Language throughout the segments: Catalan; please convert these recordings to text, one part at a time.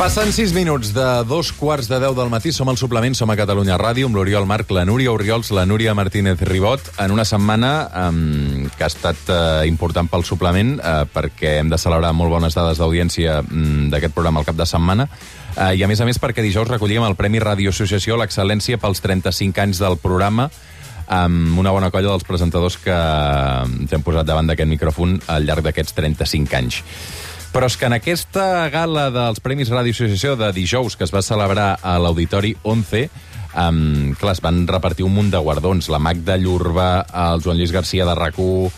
Passen 6 minuts de 2:15 del matí. Som al Suplement, som a Catalunya Ràdio, amb l'Oriol Marc, la Núria Orriols, la Núria Martínez Ribot, en una setmana que ha estat important pel Suplement, perquè hem de celebrar molt bones dades d'audiència d'aquest programa al cap de setmana, i a més perquè dijous recollíem el Premi Ràdio Associació a l'Excel·lència pels 35 anys del programa, amb una bona colla dels presentadors que ens hem posat davant d'aquest micròfon al llarg d'aquests 35 anys. Però és que en aquesta gala dels Premis Ràdio Associació de dijous, que es va celebrar a l'Auditori 11, clar, es van repartir un munt de guardons. La Magda Llurba, el Joan Lluís Garcia de RAC1,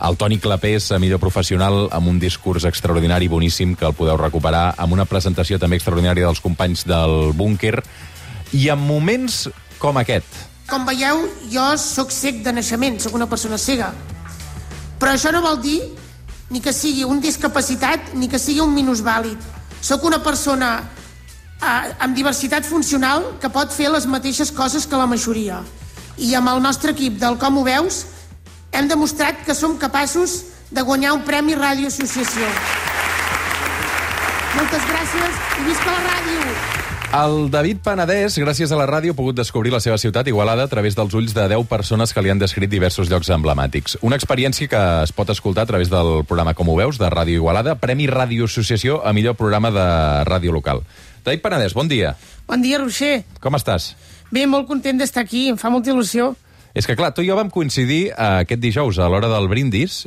el Toni Clapés, a millor professional, amb un discurs extraordinari, boníssim, que el podeu recuperar, amb una presentació també extraordinària dels companys del búnquer, i en moments com aquest. Com veieu, jo sóc cec de naixement, sóc una persona cega. Però això no vol dir ni que sigui un discapacitat ni que sigui un minusvàlid. Sóc una persona amb diversitat funcional que pot fer les mateixes coses que la majoria. I amb el nostre equip del Com ho veus hem demostrat que som capaços de guanyar un Premi Ràdio Associació. Moltes gràcies i visca la ràdio! El David Penedès, gràcies a la ràdio, ha pogut descobrir la seva ciutat, Igualada, a través dels ulls de 10 persones que li han descrit diversos llocs emblemàtics. Una experiència que es pot escoltar a través del programa Com ho veus, de Ràdio Igualada, Premi Ràdio Associació a millor programa de ràdio local. David Penedès, bon dia. Bon dia, Roger. Com estàs? Bé, molt content d'estar aquí, em fa molta il·lusió. És que, clar, tu i jo vam coincidir aquest dijous a l'hora del brindis,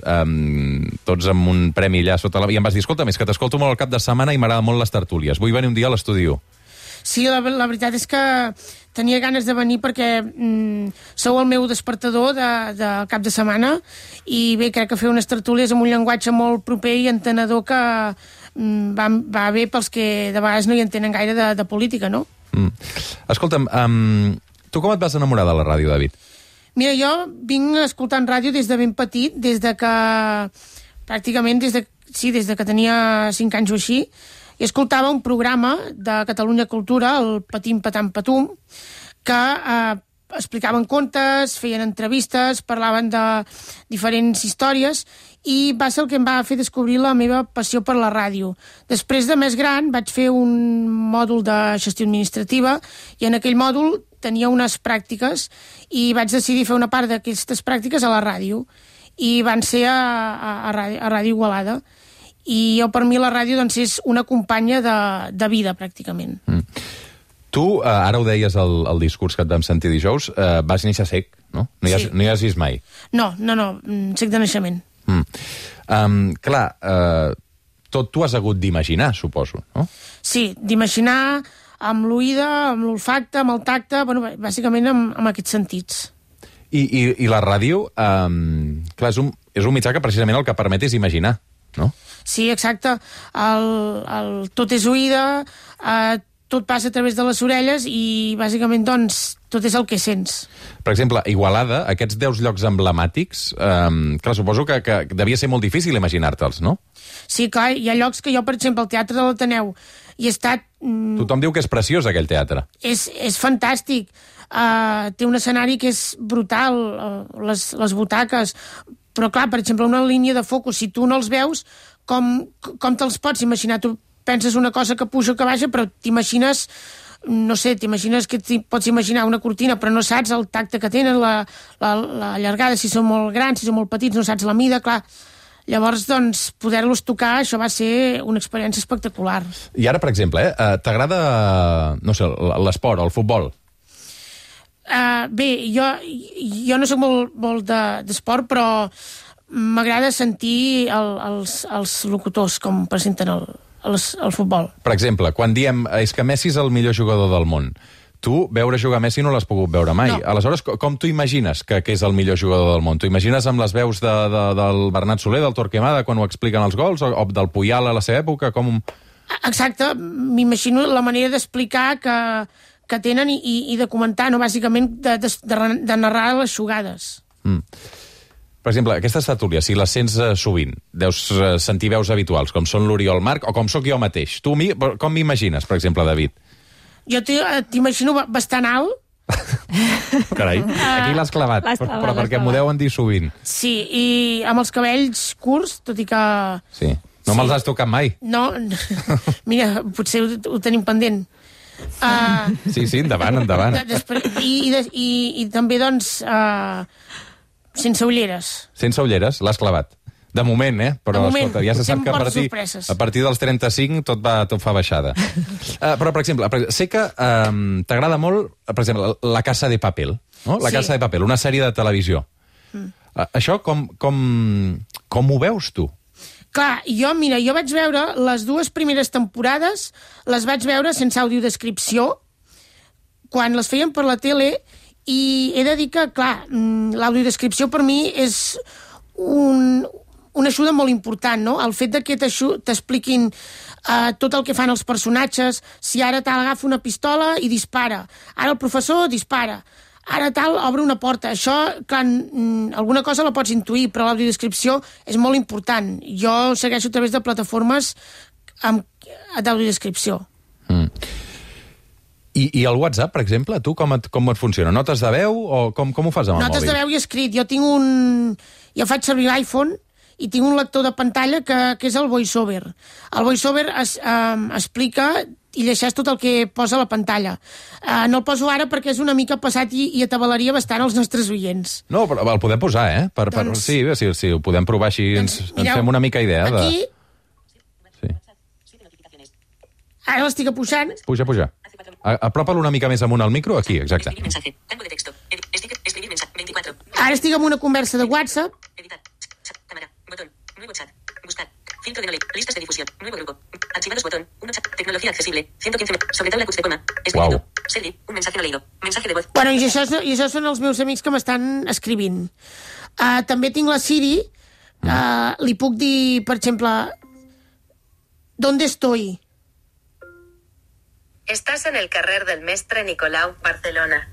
tots amb un premi allà sota i em vas dir, escolta, més que t'escolto molt al cap de setmana i m'agrada molt les tertúlies. Vull venir un dia a l'estudi 1. Sí, la veritat és que tenia ganes de venir perquè sou el meu despertador de cap de setmana i bé, crec que fer unes tertúlies amb un llenguatge molt proper i entenedor que va bé pels que de vegades no hi entenen gaire de política, no? Escolta'm, tu com et vas enamorar de la ràdio, David? Mira, jo vinc escoltant ràdio des de ben petit, des de que tenia 5 anys o així, i escoltava un programa de Catalunya Cultura, el Patim Patam Patum, que explicaven contes, feien entrevistes, parlaven de diferents històries, i va ser el que em va fer descobrir la meva passió per la ràdio. Després de més gran vaig fer un mòdul de gestió administrativa i en aquell mòdul tenia unes pràctiques i vaig decidir fer una part d'aquestes pràctiques a la ràdio i van ser a Ràdio Igualada. I jo, per mi, la ràdio doncs, és una companya de vida, pràcticament. Tu, ara ho deies al discurs que et vam sentir dijous, vas néixer cec, no? No hi has vist mai? No, cec de naixement. Clar, tot t'ho has hagut d'imaginar, suposo, no? Sí, d'imaginar amb l'oïda, amb l'olfacte, amb el tacte, bueno, bàsicament amb aquests sentits. I la ràdio, clar, és un mitjà que precisament el que permet és imaginar, no? Sí, exacte. Tot és oïda, tot passa a través de les orelles i, bàsicament, doncs, tot és el que sents. Per exemple, Igualada, aquests 10 llocs emblemàtics, clar, suposo que devia ser molt difícil imaginar-te'ls, no? Sí, clar, hi ha llocs que jo, per exemple, al Teatre de l'Ateneu, hi he estat... Tothom diu que és preciós, aquell teatre. És fantàstic. Té un escenari que és brutal, les butaques, però, clar, per exemple, una línia de focus, si tu no els veus, com te'ls pots imaginar? Tu penses una cosa que puja o que baixa, però t'imagines, no sé, t'imagines que pots imaginar una cortina, però no saps el tacte que tenen, la llargada, si són molt grans, si són molt petits, no saps la mida, clar. Llavors, doncs, poder-los tocar, això va ser una experiència espectacular. I ara, per exemple, t'agrada, no sé, l'esport, el futbol? Bé, jo no soc molt d'esport, però m'agrada sentir els locutors com presenten el futbol. Per exemple, quan diem és que Messi és el millor jugador del món, tu veure jugar Messi no l'has pogut veure mai. No. Aleshores, com t'ho imagines que és el millor jugador del món? T'ho imagines amb les veus del Bernat Soler, del Torquemada, quan ho expliquen els gols, o del Puyal a la seva època? Exacte, m'imagino la manera d'explicar que tenen i de comentar, no? Bàsicament de narrar les jugades. Per exemple, aquestes tertúlies, si les sents sovint, deus sentir veus habituals, com són l'Oriol Marc, o com sóc jo mateix. Tu com m'imagines, per exemple, David? Jo t'imagino bastant alt. Carai, aquí l'has clavat, però perquè m'ho deuen dir sovint. Sí, i amb els cabells curts, tot i que... Sí. No me'ls has tocat mai. No, mira, potser ho tenim pendent. Sí, endavant. I també, doncs, sense ulleres. Sense ulleres, l'has clavat. De moment, però escolta, ja se sap que a partir dels 35 tot fa baixada. Però, per exemple, sé que t'agrada molt, per exemple, La Casa de Papel, no? La Casa de Papel, una sèrie de televisió. Això com ho veus tu? Clar, jo vaig veure les 2 primeres temporades, les vaig veure sense audiodescripció, quan les feien per la tele, i he de dir que, clar, l'audiodescripció per mi és una ajuda molt important, no? El fet que t'expliquin tot el que fan els personatges, si ara tal agafa una pistola i dispara, ara el professor dispara, ara tal obre una porta. Això, clar, alguna cosa la pots intuir, però l'audiodescripció és molt important. Jo segueixo a través de plataformes d'audiodescripció. I el WhatsApp, per exemple, tu com et funciona? Notes de veu o com ho fas amb el mòbil? Notes de veu i escrit. Jo faig servir l'iPhone i tinc un lector de pantalla que és el VoiceOver. El VoiceOver explica i llegeix tot el que posa a la pantalla. No el poso ara perquè és una mica passat i atabalaria bastant els nostres oients. No, però el podem posar, Sí, ho podem provar així, ens fem una mica idea. Aquí... Ara l'estic apujant. Puja. Apropa-lo una mica més amunt al micro, aquí, exacte. Ara estic en una conversa de WhatsApp. Nuevo chat. Buscar. Filtro de no leer. Listas de difusión. Nuevo grupo. Archivados botón. Uno chat. Tecnología accesible. 115. Sobre tabla de coma. Escribiendo. Sergi. Un mensaje no leído. Mensaje de voz. Bueno, i això són els meus amics que m'estan escrivint. També tinc la Siri. Li puc dir, per exemple, ¿dónde estoy? Estás en el carrer del Mestre Nicolau, Barcelona.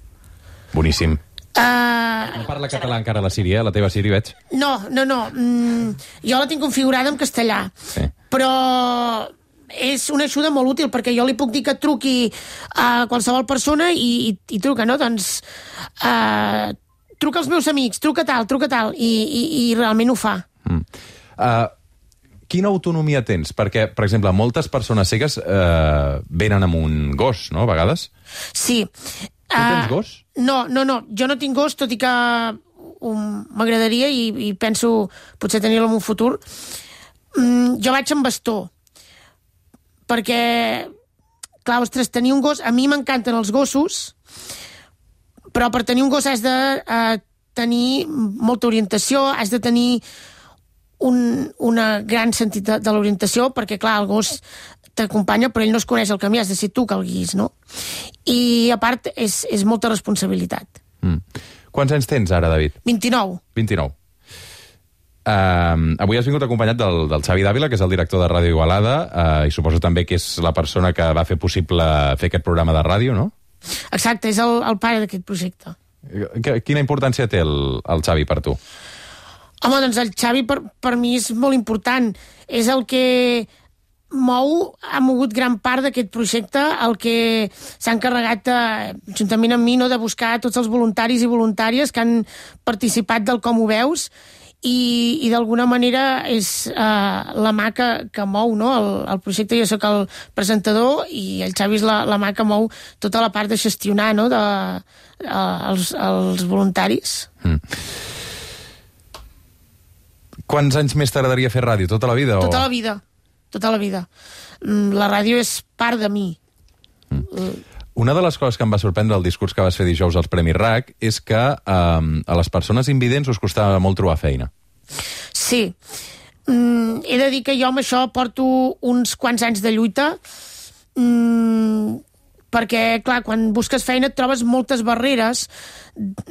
Boníssim. No parla català encara la Siri, la teva Siri, veig. No. Jo la tinc configurada en castellà. Sí. Però és una ajuda molt útil, perquè jo li puc dir que truqui a qualsevol persona i truca, no? Doncs truca als meus amics, truca tal, i realment ho fa. Quina autonomia tens? Perquè, per exemple, moltes persones cegues venen amb un gos, no?, a vegades. Sí. Tu tens gos? No, jo no tinc gos, tot i que m'agradaria i penso potser tenir-lo en un futur. Jo vaig amb bastó, perquè, clar, ostres, tenir un gos... A mi m'encanten els gossos, però per tenir un gos has de tenir molta orientació, has de tenir una gran sentit de l'orientació, perquè, clar, el gos t'acompanya, però ell no es coneix el camí, has de ser tu que el guis, no? I, a part, és molta responsabilitat. Quants anys tens ara, David? 29. 29. Avui has vingut acompanyat del Xavi Dávila, que és el director de Ràdio Igualada, i suposo també que és la persona que va fer possible fer aquest programa de ràdio, no? Exacte, és el pare d'aquest projecte. Quina importància té el Xavi per tu? Home, doncs el Xavi per mi és molt important. És el que ha mogut gran part d'aquest projecte, el que s'ha encarregat, juntament amb mi, no, de buscar tots els voluntaris i voluntàries que han participat del Com ho veus, i d'alguna manera és la mà que mou, no, el projecte. Jo soc el presentador i el Xavi és la mà que mou tota la part de gestionar, no, els voluntaris. Quants anys més t'agradaria fer ràdio? Tota la vida? Tota la vida. Tota la vida. La ràdio és part de mi. Una de les coses que em va sorprendre el discurs que vas fer dijous als Premis RAC és que a les persones invidents us costava molt trobar feina. Sí. He de dir que jo amb això porto uns quants anys de lluita, perquè, clar, quan busques feina et trobes moltes barreres.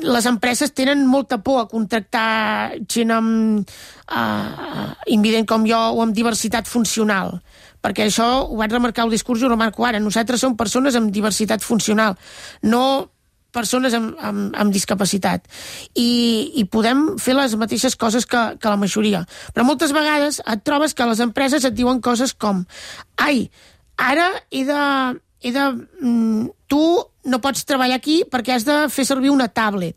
Les empreses tenen molta por a contractar gent invident com jo o amb diversitat funcional, perquè això ho vaig remarcar al discurs i ho remarco ara. Nosaltres som persones amb diversitat funcional, no persones amb discapacitat. I podem fer les mateixes coses que la majoria. Però moltes vegades et trobes que les empreses et diuen coses com: ai, ara tu no pots treballar aquí perquè has de fer servir una tablet,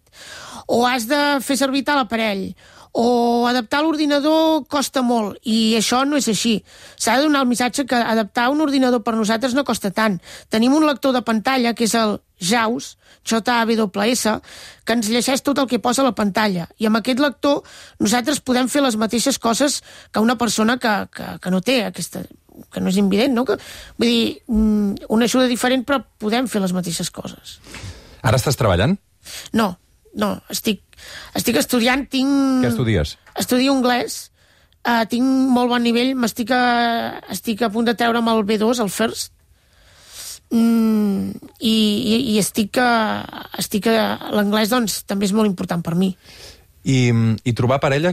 o has de fer servir tal aparell, o adaptar l'ordinador costa molt, i això no és així. S'ha de donar el missatge que adaptar un ordinador per nosaltres no costa tant. Tenim un lector de pantalla, que és el JAWS, JAWS, que ens llegeix tot el que posa a la pantalla. I amb aquest lector nosaltres podem fer les mateixes coses que una persona que no té aquesta... que no és invident, no? Vull dir, una ajuda diferent, però podem fer les mateixes coses. Ara estàs treballant? No, estic estudiant, Què estudies? Estudio anglès, tinc molt bon nivell, estic a punt de treure'm el B2, el First, i l'anglès, doncs, també és molt important per mi. I trobar parella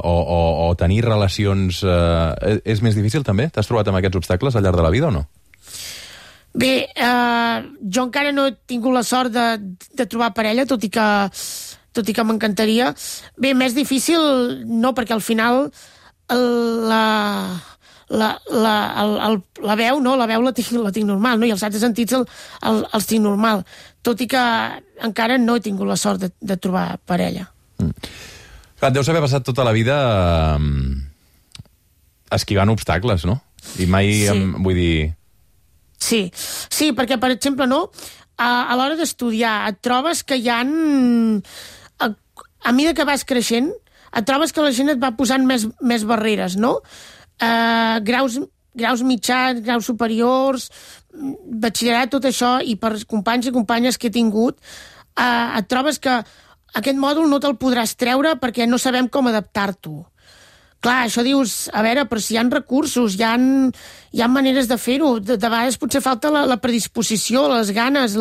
o tenir relacions és més difícil, també? T'has trobat amb aquests obstacles al llarg de la vida o no? Bé, jo encara no he tingut la sort de trobar parella, tot i que m'encantaria. Bé, més difícil no, perquè al final la veu, no? La veu la tinc normal, no? I els altres sentits els tinc normal, tot i que encara no he tingut la sort de trobar parella. Clar, deus haver passat tota la vida esquivant obstacles, no? I mai, vull dir... Sí, perquè, per exemple, no, a l'hora d'estudiar et trobes que hi ha... A mesura que vas creixent, et trobes que la gent et va posant més barreres, no? Graus mitjans, graus superiors, batxillerat, tot això, i per companys i companyes que he tingut, et trobes que aquest mòdul no te'l podràs treure perquè no sabem com adaptar-t'ho. Clar, això dius, a veure, però si hi ha recursos, hi ha maneres de fer-ho, de vegades potser falta la predisposició, les ganes,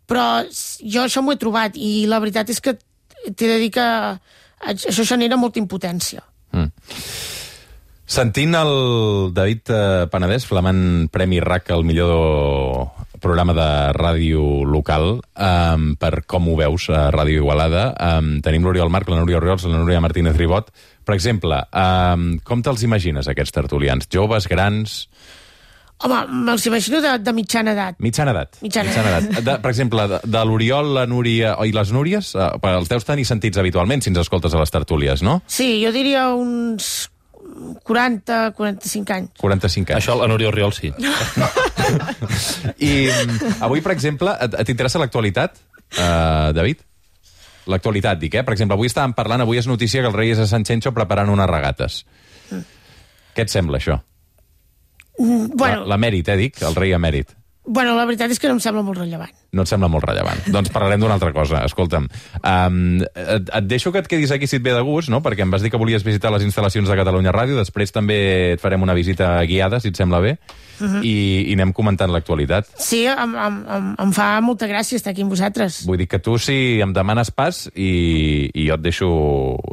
però jo això m'ho he trobat, i la veritat és que t'he de dir que això genera molta impotència. Sentint el David Penedès, flamant Premi RAC al millor programa de ràdio local, per com ho veus a Ràdio Igualada, tenim l'Oriol Marc, la Núria Orriols, la Núria Martínez Ribot. Per exemple, com te'ls imagines, aquests tertulians? Joves, grans? Home, me'ls imagino de mitjana edat. Mitjana edat. Per exemple, de l'Oriol, la Núria i les Núries, els deus tenir sentits habitualment si ens escoltes a les tertúlies, no? Sí, jo diria uns 40-45 anys. 45 anys. Això la Núria Orriols sí. I avui, per exemple, t'interessa l'actualitat, David? L'actualitat, dic, Per exemple, avui estàvem parlant, avui és notícia que el rei és a Sant Xenxo preparant unes regates. Què et sembla, això? Bueno, L'emèrit, dic, el rei emèrit. Bueno, la veritat és que no em sembla molt rellevant. No et sembla molt rellevant. Doncs parlarem d'una altra cosa. Escolta'm, et deixo que et quedis aquí si et ve de gust, no? Perquè em vas dir que volies visitar les instal·lacions de Catalunya Ràdio, després també et farem una visita guiada, si et sembla bé, i anem comentant l'actualitat. Sí, em fa molta gràcia estar aquí amb vosaltres. Vull dir que tu si em demanes pas i jo et deixo...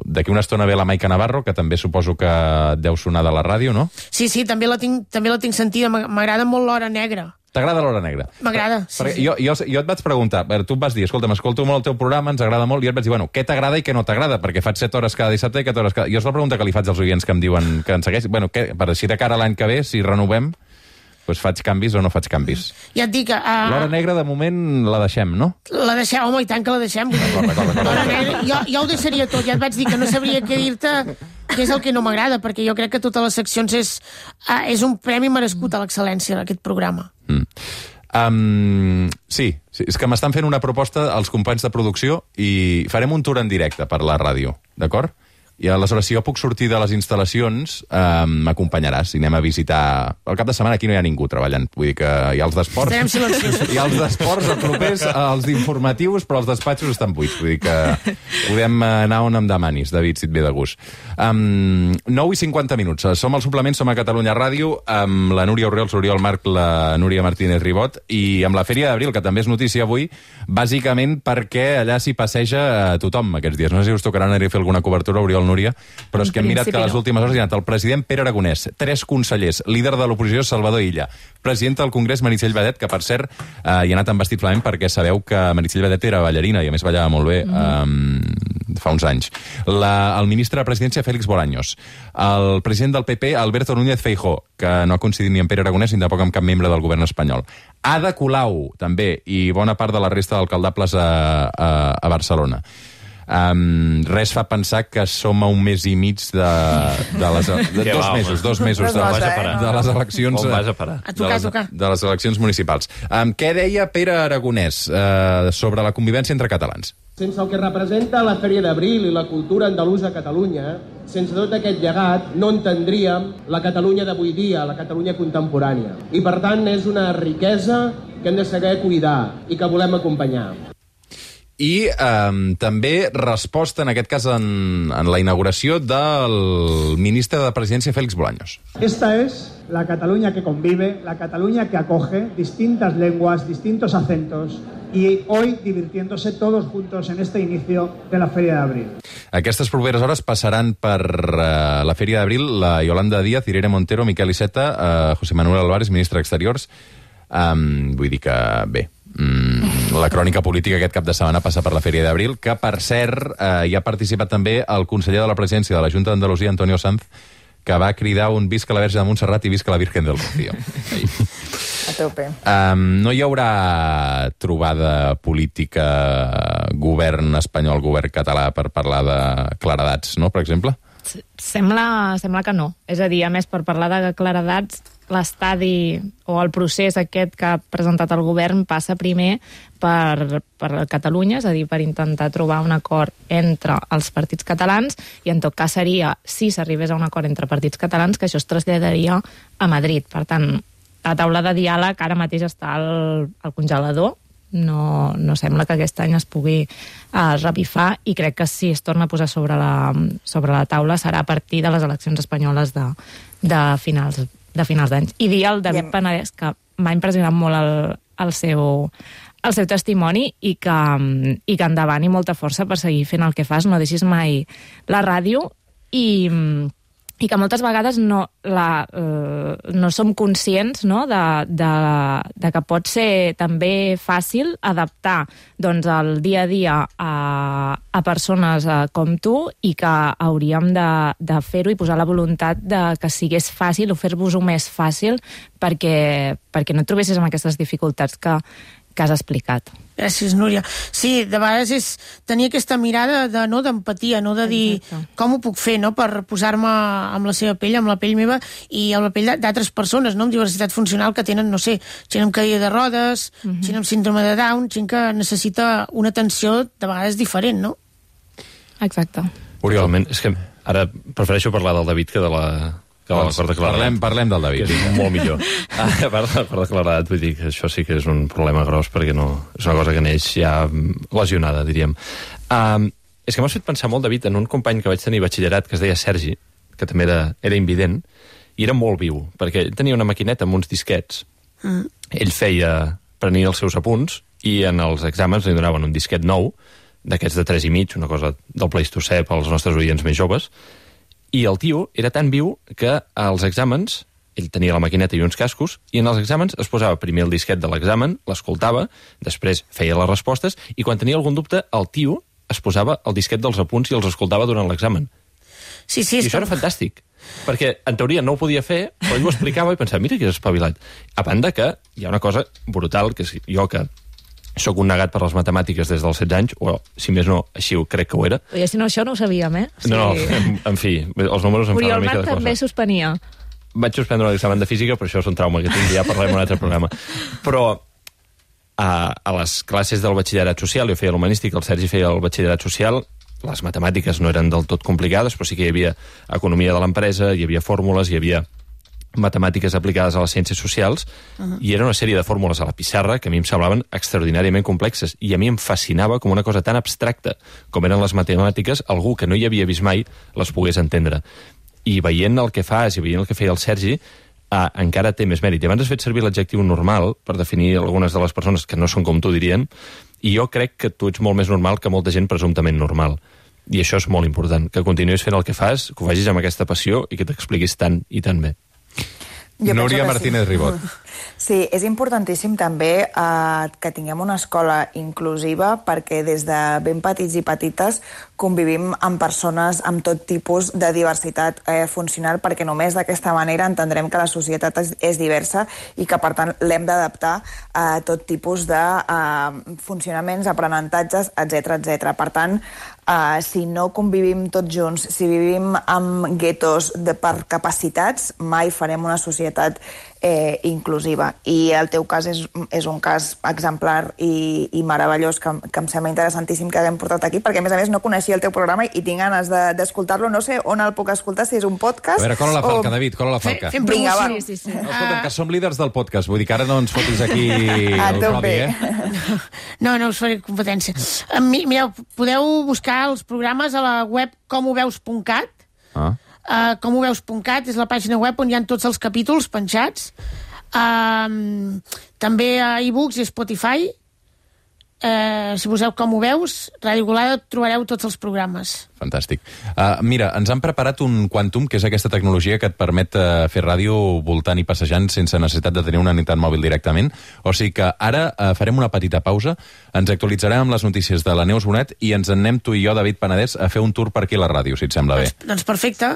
D'aquí una estona ve la Maica Navarro, que també suposo que et deu sonar de la ràdio, no? Sí, també la tinc sentida. M'agrada molt l'Hora Negra. T'agrada l'Hora Negra? M'agrada, sí. Jo et vaig preguntar, tu em vas dir, escolta, m'escolto molt el teu programa, ens agrada molt, i jo et vaig dir, bueno, què t'agrada i què no t'agrada? Perquè faig 7 hores cada dissabte i 7 hores cada... Jo és la pregunta que li faig als oients que em diuen que ens segueix. Bueno, per així de cara a l'any que ve, si renovem, doncs faig canvis o no faig canvis. Ja et dic que... L'Hora Negra, de moment, la deixem, no? La deixem, home, i tant que la deixem. L'Hora Negra, jo ho deixaria tot, ja et vaig dir que no sabria què dir-te, què és el que no m'agrada, perquè jo crec que totes les seccions és un premi merescut a l'excel·lència d'aquest programa. Sí, és que m'estan fent una proposta als companys de producció i farem un tour en directe per la ràdio, d'acord? I aleshores, si jo puc sortir de les instal·lacions, m'acompanyaràs i anem a visitar... El cap de setmana aquí no hi ha ningú treballant, vull dir que hi ha els d'esports... Estarem silenciosos. Hi ha els d'esports a propers, els d'informatius, però els despatxos estan buits, vull dir que podem anar on em demanis, David, si et ve de gust. 9:50. Som al suplement, som a Catalunya Ràdio, amb la Núria Orriols, l'Oriol Marc, la Núria Martínez Ribot, i amb la Fèria d'Abril, que també és notícia avui, bàsicament perquè allà s'hi passeja tothom aquests dies. No sé si us tocarà anar a fer alguna cobertura, Oriol, Núria, però és que hem mirat que a les últimes hores hi ha anat el president Pere Aragonès, 3 consellers, líder de l'oposició Salvador Illa, presidenta del Congrés Meritxell Batet, que per cert hi ha anat amb vestit flamenc perquè sabeu que Meritxell Batet era ballarina i a més ballava molt bé fa uns anys. El ministre de Presidència Félix Bolaños, el president del PP Alberto Núñez Feijóo, que no ha coincidit ni amb Pere Aragonès ni tampoc amb cap membre del govern espanyol. Ada Colau, també, i bona part de la resta d'alcaldables a Barcelona. Res fa pensar que som a un mes i mig de les... dos mesos de les eleccions... On vas a parar? A tocar. De les eleccions municipals. Què deia Pere Aragonès sobre la convivència entre catalans? Sense el que representa la Fèria d'Abril i la cultura andalusa a Catalunya, sense tot aquest llegat, no entendríem la Catalunya d'avui dia, la Catalunya contemporània. I, per tant, és una riquesa que hem de saber cuidar i que volem acompanyar. I també resposta, en aquest cas, en la inauguració del ministre de Presidència, Félix Bolaños. Esta es la Cataluña que convive, la Cataluña que acoge distintas lenguas, distintos acentos, y hoy divirtiéndose todos juntos en este inicio de la Feria d'Abril. Aquestes properes hores passaran per la Feria d'Abril la Yolanda Díaz, Irene Montero, Miquel Iceta, José Manuel Álvarez, ministre d'Exteriors. Vull dir que, bé, la crònica política aquest cap de setmana passa per la Feria d'Abril, que, per cert, hi ha participat també el conseller de la Presidència de la Junta d'Andalusia, Antonio Sanz, que va cridar un visca la Verge de Montserrat i visca la Virgen del Rocío. A tope. No hi haurà trobada política govern espanyol, govern català, per parlar de claredats, no?, per exemple? Sembla que no. És a dir, a més, per parlar de claredats, l'estadi o el procés aquest que ha presentat el govern passa primer per Catalunya, és a dir, per intentar trobar un acord entre els partits catalans, i en tot cas seria, si s'arribés a un acord entre partits catalans, que això es traslladaria a Madrid. Per tant, la taula de diàleg ara mateix està al congelador, no sembla que aquest any es pugui revifar, i crec que si es torna a posar sobre la taula serà a partir de les eleccions espanyoles de finals d'any. I dir al David Penedès que m'ha impressionat molt el seu testimoni, i que endavant, i molta força per seguir fent el que fas, no deixis mai la ràdio, i que moltes vegades no som conscients, no?, de que pot ser també fàcil adaptar, doncs, el dia a dia a persones com tu, i que hauríem de fer-ho i posar la voluntat de que sigués fàcil, o fer-vos-ho més fàcil, perquè no et trobessis amb aquestes dificultats que has explicat. Gràcies, Núria. Sí, de vegades és tenir aquesta mirada d'empatia, no de dir com ho puc fer, no?, per posar-me amb la seva pell, amb la pell meva i amb la pell d'altres persones, no?, amb diversitat funcional, que tenen, no sé, gent amb cadira de rodes, gent amb síndrome de Down, gent que necessita una atenció de vegades diferent, no? Exacte. Oriol, és que ara prefereixo parlar del David que de l'acord de claredat. Parlem del David. Que és molt millor. A part de l'acord de claredat, vull dir que això sí que és un problema gros, perquè no és una cosa que neix ja lesionada, diríem. És que m'has fet pensar molt, David, en un company que vaig tenir a batxillerat, que es deia Sergi, que també era invident, i era molt viu, perquè ell tenia una maquineta amb uns disquets. Ell prenia els seus apunts, i en els exàmens li donaven un disquet nou, d'aquests de 3,5, una cosa del Pleistocè pels nostres oients més joves, i el tio era tan viu que als exàmens, ell tenia la maquineta i uns cascos, i en els exàmens es posava primer el disquet de l'examen, l'escoltava, després feia les respostes, i quan tenia algun dubte, el tio es posava el disquet dels apunts i els escoltava durant l'examen. Sí, I això era fantàstic, perquè en teoria no ho podia fer, però ell ho explicava i pensava, mira que és espavilat. A banda que hi ha una cosa brutal, que és jo que soc un negat per les matemàtiques des dels 16 anys, o si més no, així ho crec que ho era. I si no, això no ho sabíem, eh? Sí. No, en fi, els números em fan una mica de cosa. Oriol també suspenia. Vaig suspendre l'examen de física, però això és un trauma que tinc, ja parlarem en un altre programa. Però a les classes del batxillerat social, jo feia l'humanístic, el Sergi feia el batxillerat social, les matemàtiques no eren del tot complicades, però sí que hi havia economia de l'empresa, hi havia fórmules, hi havia matemàtiques aplicades a les ciències socials, i era una sèrie de fórmules a la pissarra que a mi em semblaven extraordinàriament complexes, i a mi em fascinava com una cosa tan abstracta com eren les matemàtiques, algú que no hi havia vist mai les pogués entendre. I veient el que fas i veient el que feia el Sergi, encara té més mèrit. I abans has fet servir l'adjectiu normal per definir algunes de les persones que no són com tu, dirien, i jo crec que tu ets molt més normal que molta gent presumptament normal. I això és molt important, que continuïs fent el que fas, que ho facis amb aquesta passió i que t'expliquis tant i tan bé. Núria Martínez Ribot. Sí, és importantíssim també que tinguem una escola inclusiva perquè des de ben petits i petites convivim amb persones amb tot tipus de diversitat funcional, perquè només d'aquesta manera entendrem que la societat és diversa i que, per tant, l'hem d'adaptar a tot tipus de funcionaments, aprenentatges, etc. Per tant, si no convivim tots junts, si vivim amb guetos per capacitats, mai farem una societat inclusiva. I el teu cas és un cas exemplar i meravellós que em sembla interessantíssim que haguem portat aquí, perquè a més no coneixia el teu programa i tinc ganes d'escoltar-lo. No sé on el puc escoltar, si és un podcast... A veure, cola la falca, David, cola la falca. Fem promoció. Sí. Escolta'm, que som líders del podcast, vull dir que ara no ens fotis aquí el Rodi, No us faré competència. Mireu, podeu buscar els programes a la web comoveus.cat. Comoveus.cat és la pàgina web on hi ha tots els capítols penjats. També a iBooks i Spotify. Si poseu Com ho veus, Ràdio Igualada, trobareu tots els programes. Fantàstic. Mira, ens han preparat un Quantum, que és aquesta tecnologia que et permet fer ràdio voltant i passejant sense necessitat de tenir una unitat mòbil directament. O sigui que ara farem una petita pausa, ens actualitzarem amb les notícies de la Neus Bonet i ens en anem tu i jo, David Penedès, a fer un tour per aquí a la ràdio, si et sembla bé. Doncs perfecte.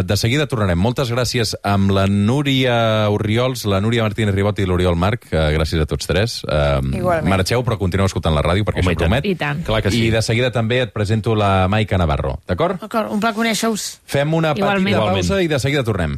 De seguida tornarem. Moltes gràcies amb la Núria Orriols, la Núria Martínez Ribot i l'Oriol Marc. Gràcies a tots tres. Igualment. Marxeu, però continueu escoltant la ràdio, perquè això promet. I tant. Clar que sí. I de seguida també et presento la Maica Navarro. D'acord? D'acord, un pla conèixer-us. Fem una petita Igualment. pausa i de seguida tornem.